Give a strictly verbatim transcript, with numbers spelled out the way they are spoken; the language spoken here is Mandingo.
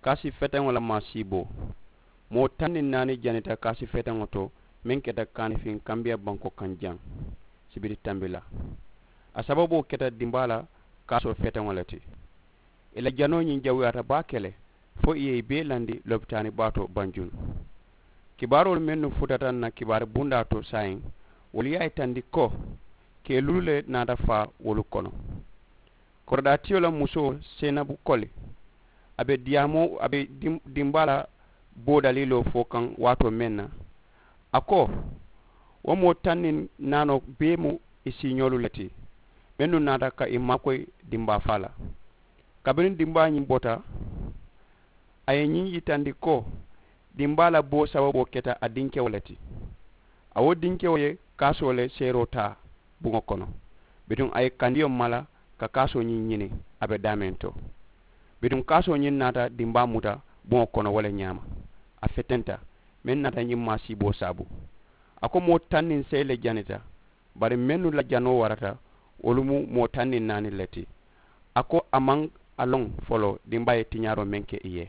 Kaasi feteŋo la maasiiboo. Moo taŋ niŋ naani janita kaasi feteŋo to meŋ keta kaanifiŋ kambiya bankoo kaŋ jaŋ sibiri tambi la. A sababoo keta dimbaa la kaasoo feteŋo le ti. Ì la janoo ñiŋ jawuyaata baake le fo ì ye ì bee landi lopitaani baa to banjulu. Kibaaroolu mennu futata n na kibaari bundaa to saayiŋ wolu ye a yitandi ko keelulu le naata faa wolu kono. Korodaatiyo la musoo seenabu koli a be diyaamoo a be dimbaa la boo daliiloo fo kaŋ waatoo meŋ na. A ko wo moo taŋ niŋ naanoo bee mu ì siiñoolu le ti mennu naata ka ì maakoyi dimbaa faa la. Kabiriŋ dimbaa ñiŋ bota a ye ñiŋ yitandi ko dimbaa la boo sababoo keta a dinkewo le ti. A wo dinkewo ye kaasoo le seeroo taa buŋo kono bituŋ a ye kandiyo mala ka kaasoo ñiŋ ñini a be daameŋ to. Bituŋ kaasoo ñiŋ naata dimbaa muta buŋo kono wo le ñaama. A fetenta meŋ naata ñiŋ maasiiboo saabu. A ko moo taŋ niŋ seyi le janita bari mennu la janoo warata wolu mu moo taŋ niŋ naani le ti. A ko a maŋ a loŋ foloo dimbaa ye tiñaaroo meŋ ke ì ye.